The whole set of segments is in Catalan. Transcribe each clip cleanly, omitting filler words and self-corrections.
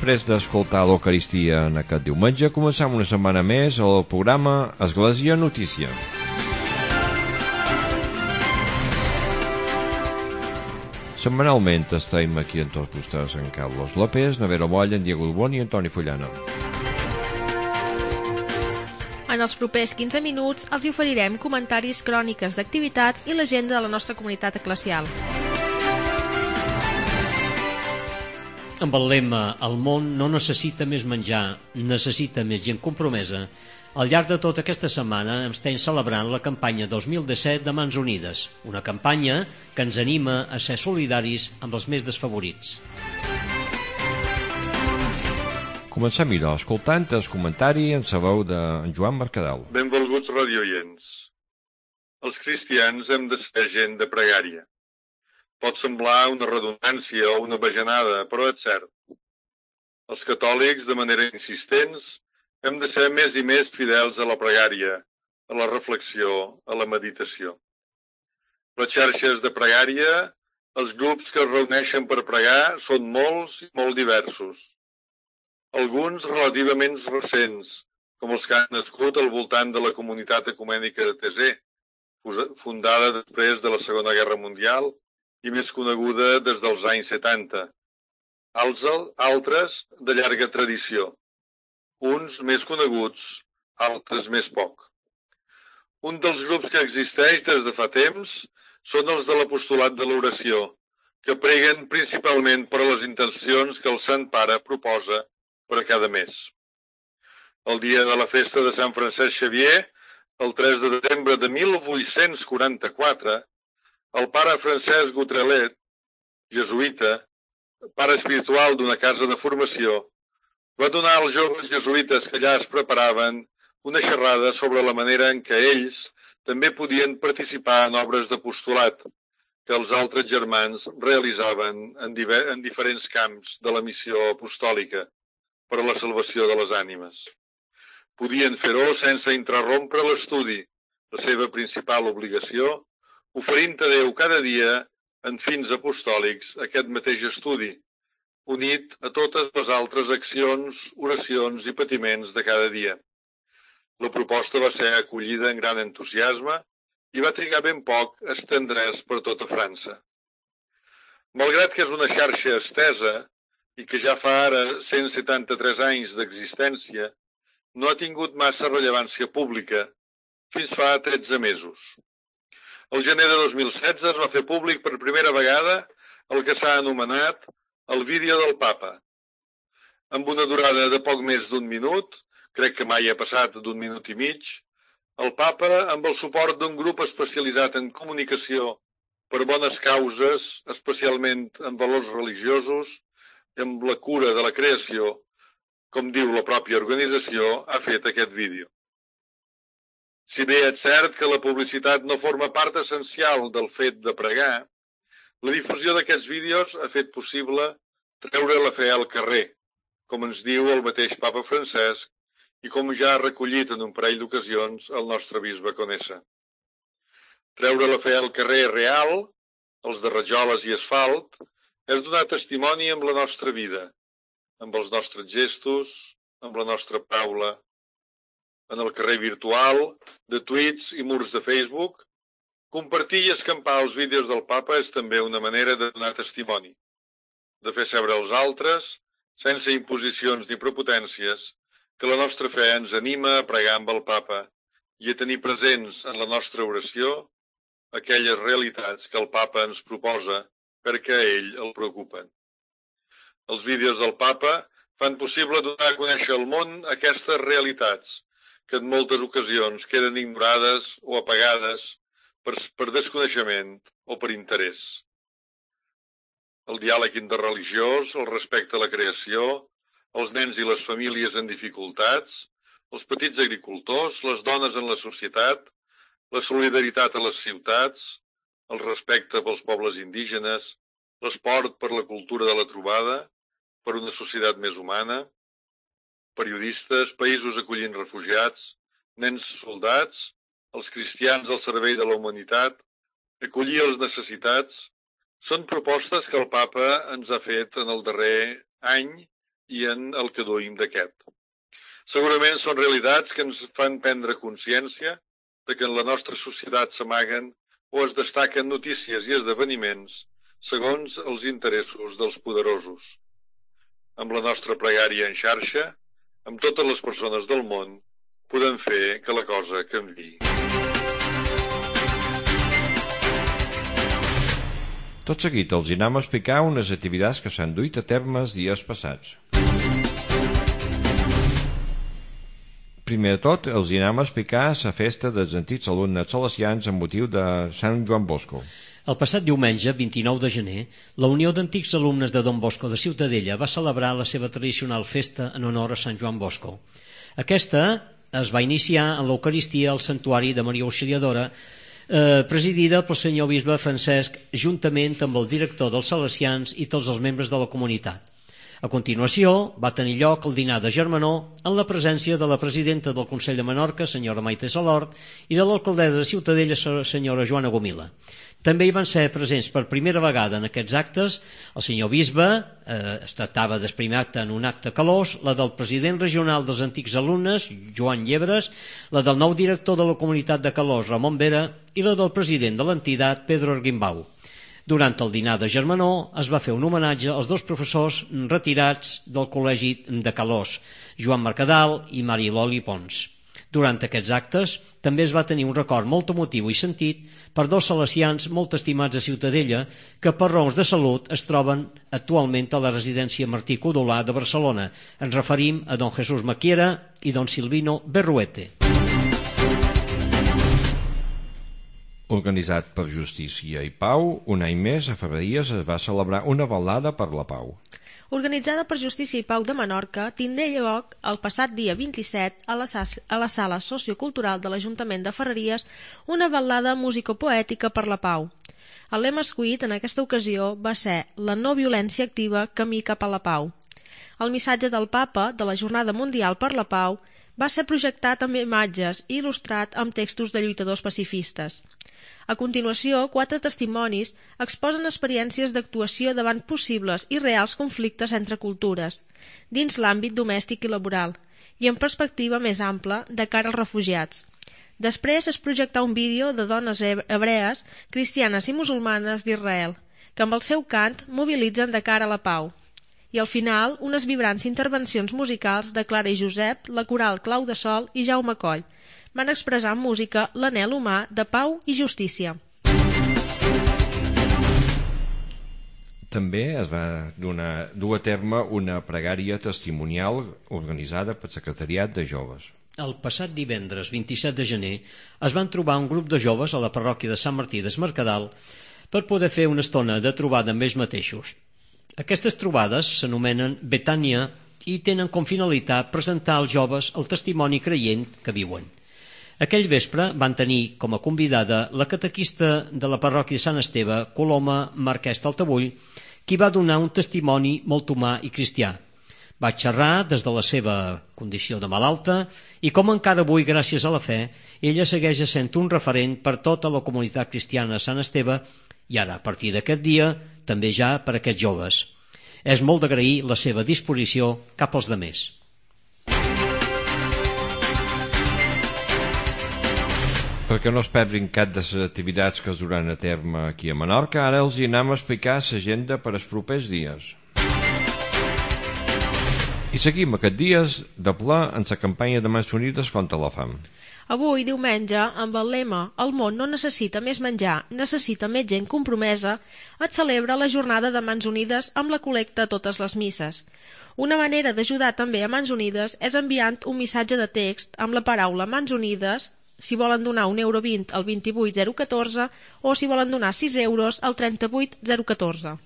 després d'escoltar l'Eucaristia en aquest diumenge, començam una setmana més el programa Església Notícia. Setmanalment estem aquí amb tots vostès en Carlos López, Navero Moll, en Diego Dubón i Antoni Fullana. En els propers 15 minuts els oferirem comentaris, cròniques d'activitats i l'agenda de la nostra comunitat eclesial. Amb el lema "El món no necessita més menjar, necessita més gent compromesa", al llarg de tota aquesta setmana estem celebrant la campanya 2017 de Mans Unides, una campanya que ens anima a ser solidaris amb els més desfavorits. Comencem escoltant el comentari en sa veu de Joan Mercadal. Benvolguts radioients. Els cristians hem de ser gent de pregària. Pot semblar una redundància o una bajanada, però és cert. Els catòlics, de manera insistents, hem de ser més i més fidels a la pregària, a la reflexió, a la meditació. Les xarxes de pregària, els grups que es reuneixen per pregar, són molts i molt diversos. Alguns relativament recents, com els que han nascut al voltant de la comunitat ecumènica de Thésée, fundada després de la Segona Guerra Mundial i més coneguda des dels anys 70. Altres de llarga tradició. Uns més coneguts, altres més poc. Un dels grups que existeix des de fa temps són els de l'apostolat de l'oració, que preguen principalment per a les intencions que el Sant Pare proposa per a cada mes. El dia de la festa de Sant Francesc Xavier, el 3 de desembre de 1844, el pare Francesc Gutrelet, jesuïta, pare espiritual d'una casa de formació, va donar als joves jesuïtes que allà es preparaven una xerrada sobre la manera en què ells també podien participar en obres d'apostolat que els altres germans realitzaven en diferents camps de la missió apostòlica per a la salvació de les ànimes. Podien fer-ho sense interrompre l'estudi, la seva principal obligació, oferint a Déu cada dia, en fins apostòlics, aquest mateix estudi, unit a totes les altres accions, oracions i patiments de cada dia. La proposta va ser acollida en gran entusiasme i va trigar ben poc a estendre's per tota França. Malgrat que és una xarxa estesa i que ja fa ara 173 anys d'existència, no ha tingut massa rellevància pública fins fa 13 mesos. El gener de 2016 es va fer públic per primera vegada el que s'ha anomenat el vídeo del Papa. Amb una durada de poc més d'un minut, crec que mai ha passat d'un minut i mig, el Papa, amb el suport d'un grup especialitzat en comunicació per bones causes, especialment en valors religiosos i amb la cura de la creació, com diu la pròpia organització, ha fet aquest vídeo. Si bé és cert que la publicitat no forma part essencial del fet de pregar, la difusió d'aquests vídeos ha fet possible treure la fe al carrer, com ens diu el mateix Papa Francesc i com ja ha recollit en un parell d'ocasions el nostre bisbe Conesa. Treure la fe al carrer real, els de rajoles i asfalt, és donar testimoni amb la nostra vida, amb els nostres gestos, amb la nostra paraula, en el carrer virtual, de tuits i murs de Facebook. Compartir i escampar els vídeos del Papa és també una manera de donar testimoni, de fer saber als altres, sense imposicions ni prepotències, que la nostra fe ens anima a pregar amb el Papa i a tenir presents en la nostra oració aquelles realitats que el Papa ens proposa perquè a ell el preocupen. Els vídeos del Papa fan possible donar a conèixer al món aquestes realitats que en moltes ocasions queden ignorades o apagades per desconeixement o per interès. El diàleg interreligiós, el respecte a la creació, els nens i les famílies en dificultats, els petits agricultors, les dones en la societat, la solidaritat a les ciutats, el respecte pels pobles indígenes, l'esport per la cultura de la trobada, per una societat més humana, periodistes, països acollint refugiats, nens soldats, els cristians al servei de la humanitat, acollir els necessitats, són propostes que el Papa ens ha fet en el darrer any i en el que duim d'aquest. Segurament són realitats que ens fan prendre consciència de que en la nostra societat s'amaguen o es destaquen notícies i esdeveniments segons els interessos dels poderosos. Amb la nostra pregària en xarxa, amb totes les persones del món, podem fer que la cosa canviï. Tot seguit els anem a explicar unes activitats que s'han duit a terme els dies passats. Primer de tot, els anem a explicar la festa dels antics alumnes salesians amb motiu de Sant Joan Bosco. El passat diumenge, 29 de gener, la Unió d'Antics Alumnes de Don Bosco de Ciutadella va celebrar la seva tradicional festa en honor a Sant Joan Bosco. Aquesta es va iniciar en l'Eucaristia al Santuari de Maria Auxiliadora, presidida pel senyor bisbe Francesc, juntament amb el director dels Salesians i tots els membres de la comunitat. A continuació, va tenir lloc el dinar de germanor en la presència de la presidenta del Consell de Menorca, senyora Maite Salort, i de l'alcaldessa de Ciutadella, senyora Joana Gomila. També hi van ser presents per primera vegada en aquests actes el senyor bisbe, estava després acte en un acte calós, la del president regional dels antics alumnes, Joan Llebres, la del nou director de la comunitat de Calós, Ramon Vera, i la del president de l'entitat, Pedro Arguimbau. Durant el dinar de germanor es va fer un homenatge als dos professors retirats del Col·legi de Calós, Joan Mercadal i Mariloli Pons. Durant aquests actes també es va tenir un record molt emotiu i sentit per dos salesians molt estimats a Ciutadella que per raons de salut es troben actualment a la residència Martí Codolà de Barcelona. Ens referim a don Jesús Maquiera i don Silvino Berruete. Organitzat per Justícia i Pau, un any més a Ferreries es va celebrar una balada per la pau. Organitzada per Justícia i Pau de Menorca, tindrà lloc el passat dia 27 a la sala sociocultural de l'Ajuntament de Ferreries una ballada musicopoètica per la pau. El lema escollit en aquesta ocasió va ser la no violència activa camí cap a la pau. El missatge del Papa de la Jornada Mundial per la Pau va ser projectat amb imatges i il·lustrat amb textos de lluitadors pacifistes. A continuació, 4 testimonis exposen experiències d'actuació davant possibles i reals conflictes entre cultures, dins l'àmbit domèstic i laboral, i en perspectiva més ampla de cara als refugiats. Després es projectà un vídeo de dones hebrees, cristianes i musulmanes d'Israel, que amb el seu cant mobilitzen de cara a la pau. I al final, unes vibrants intervencions musicals de Clara i Josep, la coral Clau de Sol i Jaume Coll, van expressar en música l'anhel humà de pau i justícia. També es va dur a terme una pregària testimonial organitzada pel Secretariat de Joves. El passat divendres 27 de gener es van trobar un grup de joves a la parròquia de Sant Martí d'Es Mercadal per poder fer una estona de trobada amb ells mateixos. Aquestes trobades s'anomenen Betània i tenen com finalitat presentar als joves el testimoni creient que viuen. Aquell vespre van tenir com a convidada la catequista de la parròquia de Sant Esteve, Coloma Marquès d'Altavull, qui va donar un testimoni molt humà i cristià. Va xerrar des de la seva condició de malalta i com encara avui, gràcies a la fe, ella segueix sent un referent per tota la comunitat cristiana de Sant Esteve i ara, a partir d'aquest dia, també ja per a aquests joves. És molt d'agrair la seva disposició cap als demés. Perquè no es perdin cap de les activitats que es duran a terme aquí a Menorca, ara els anem a explicar l'agenda per als propers dies. I seguim aquests dies de ple en la campanya de Mans Unides contra la fam. Avui, diumenge, amb el lema «El món no necessita més menjar, necessita més gent compromesa», es celebra la jornada de Mans Unides amb la col·lecta a totes les misses. Una manera d'ajudar també a Mans Unides és enviant un missatge de text amb la paraula Mans Unides, si volen donar €1,20 al 28014 o si volen donar €6 al 38014.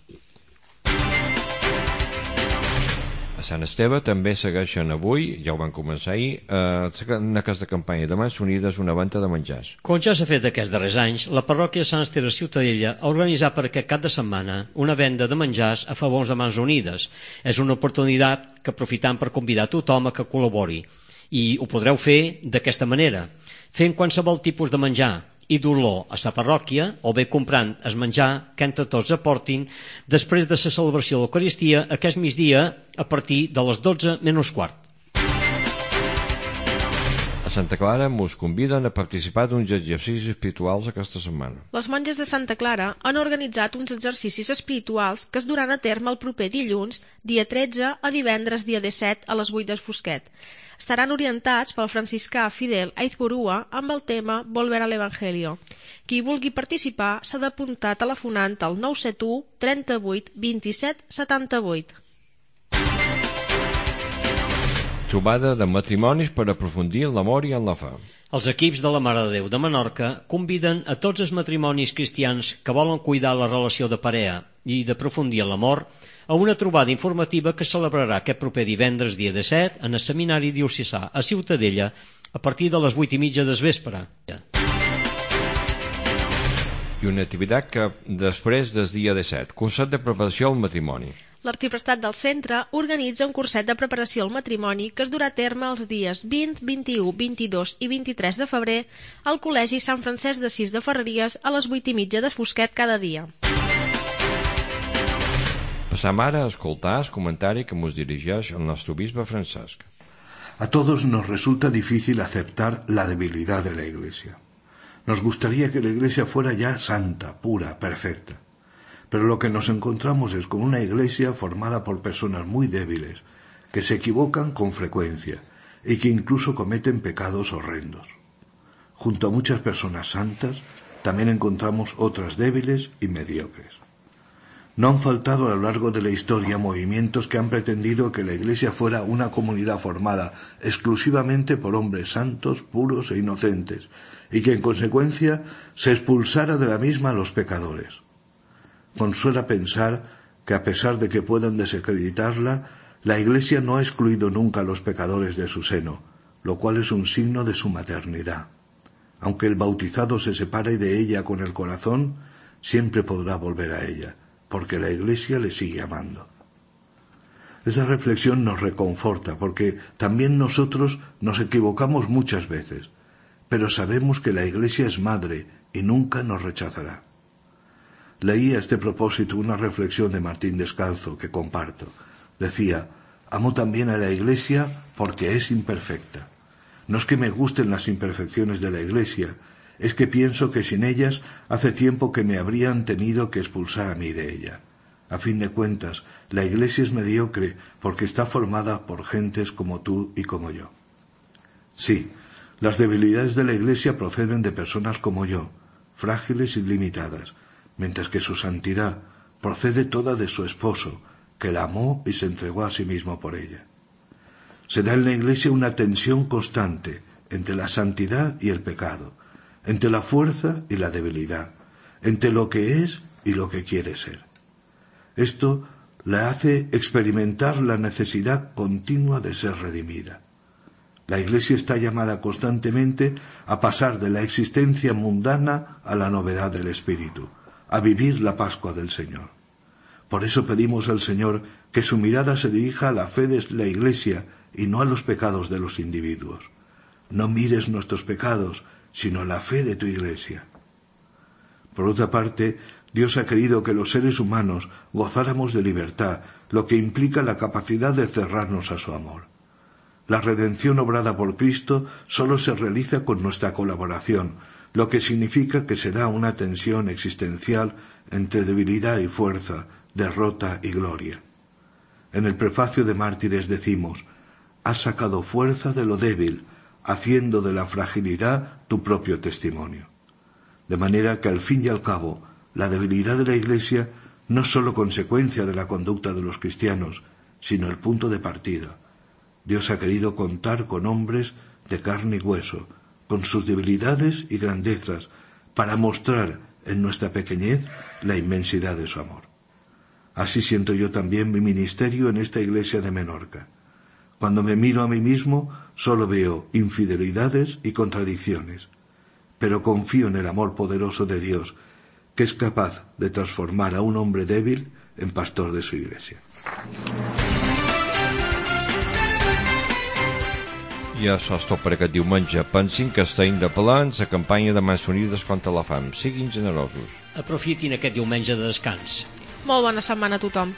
A Sant Esteve també segueixen avui, ja ho van començar ahir, en aquesta campanya de Mans Unides una venda de menjars. Com ja s'ha fet aquests darrers anys, la parròquia de Sant Esteve de Ciutadella ha organitzat per aquest cap de setmana una venda de menjars a favor de Mans Unides. És una oportunitat que aprofitam per convidar tothom a que col·labori. I ho podreu fer d'aquesta manera, fent qualsevol tipus de menjar i dolor a sa parròquia, o bé comprant es menjar que entre tots aportin després de la celebració de l'Eucaristia aquest migdia a partir de les 12 menys quart. A Santa Clara mos conviden a participar d'uns exercicis espirituals aquesta setmana. Les monges de Santa Clara han organitzat uns exercicis espirituals que es duran a terme el proper dilluns, dia 13, a divendres, dia 17, a les 8 del Fosquet. Estaran orientats pel franciscà Fidel Aizpurua amb el tema Volver al Evangelio. Qui vulgui participar s'ha d'apuntar telefonant al 971 38 27 78. Trobada de matrimonis per aprofundir en l'amor i en la fe. Els equips de la Mare de Déu de Menorca conviden a tots els matrimonis cristians que volen cuidar la relació de parella i d'aprofundir en l'amor a una trobada informativa que celebrarà aquest proper divendres dia 17 en el Seminari Diocesà a Ciutadella a partir de les 8:30 del vespre. I una activitat que després del dia 17, concert de preparació al matrimoni. L'Arxiprestat del Centre organitza un curset de preparació al matrimoni que es durà a terme els dies 20, 21, 22 i 23 de febrer al Col·legi Sant Francesc d'Assís de Ferreries a les 8:30 del Fosquet cada dia. Passam ara a escoltar el comentari que ens dirigeix el nostre bisbe Francesc. A todos nos resulta difícil aceptar la debilidad de la Iglesia. Nos gustaría que la Iglesia fuera ya santa, pura, perfecta. Pero lo que nos encontramos es con una Iglesia formada por personas muy débiles, que se equivocan con frecuencia y que incluso cometen pecados horrendos. Junto a muchas personas santas, también encontramos otras débiles y mediocres. No han faltado a lo largo de la historia movimientos que han pretendido que la Iglesia fuera una comunidad formada exclusivamente por hombres santos, puros e inocentes, y que en consecuencia se expulsara de la misma a los pecadores. Consuela pensar que a pesar de que puedan desacreditarla, la Iglesia no ha excluido nunca a los pecadores de su seno, lo cual es un signo de su maternidad. Aunque el bautizado se separe de ella con el corazón, siempre podrá volver a ella, porque la Iglesia le sigue amando. Esta reflexión nos reconforta, porque también nosotros nos equivocamos muchas veces, pero sabemos que la Iglesia es madre y nunca nos rechazará. Leí a este propósito una reflexión de Martín Descalzo que comparto. Decía: amo también a la Iglesia porque es imperfecta. No es que me gusten las imperfecciones de la Iglesia, es que pienso que sin ellas hace tiempo que me habrían tenido que expulsar a mí de ella. A fin de cuentas, la Iglesia es mediocre porque está formada por gentes como tú y como yo. Sí, las debilidades de la Iglesia proceden de personas como yo, frágiles y limitadas, mientras que su santidad procede toda de su esposo, que la amó y se entregó a sí mismo por ella. Se da en la Iglesia una tensión constante entre la santidad y el pecado, entre la fuerza y la debilidad, entre lo que es y lo que quiere ser. Esto la hace experimentar la necesidad continua de ser redimida. La Iglesia está llamada constantemente a pasar de la existencia mundana a la novedad del Espíritu, a vivir la Pascua del Señor. Por eso pedimos al Señor que su mirada se dirija a la fe de la Iglesia y no a los pecados de los individuos. No mires nuestros pecados, sino la fe de tu Iglesia. Por otra parte, Dios ha querido que los seres humanos gozáramos de libertad, lo que implica la capacidad de cerrarnos a su amor. La redención obrada por Cristo solo se realiza con nuestra colaboración, lo que significa que se da una tensión existencial entre debilidad y fuerza, derrota y gloria. En el prefacio de Mártires decimos: has sacado fuerza de lo débil, haciendo de la fragilidad tu propio testimonio. De manera que al fin y al cabo, la debilidad de la Iglesia no es sólo consecuencia de la conducta de los cristianos, sino el punto de partida. Dios ha querido contar con hombres de carne y hueso, con sus debilidades y grandezas, para mostrar en nuestra pequeñez la inmensidad de su amor. Así siento yo también mi ministerio en esta Iglesia de Menorca. Cuando me miro a mí mismo, solo veo infidelidades y contradicciones, pero confío en el amor poderoso de Dios, que es capaz de transformar a un hombre débil en pastor de su Iglesia. I això és tot per aquest diumenge. Pensin que estem de plans a campanya de Mans Unides contra la fam. Siguin generosos. Aprofitin aquest diumenge de descans. Molt bona setmana a tothom.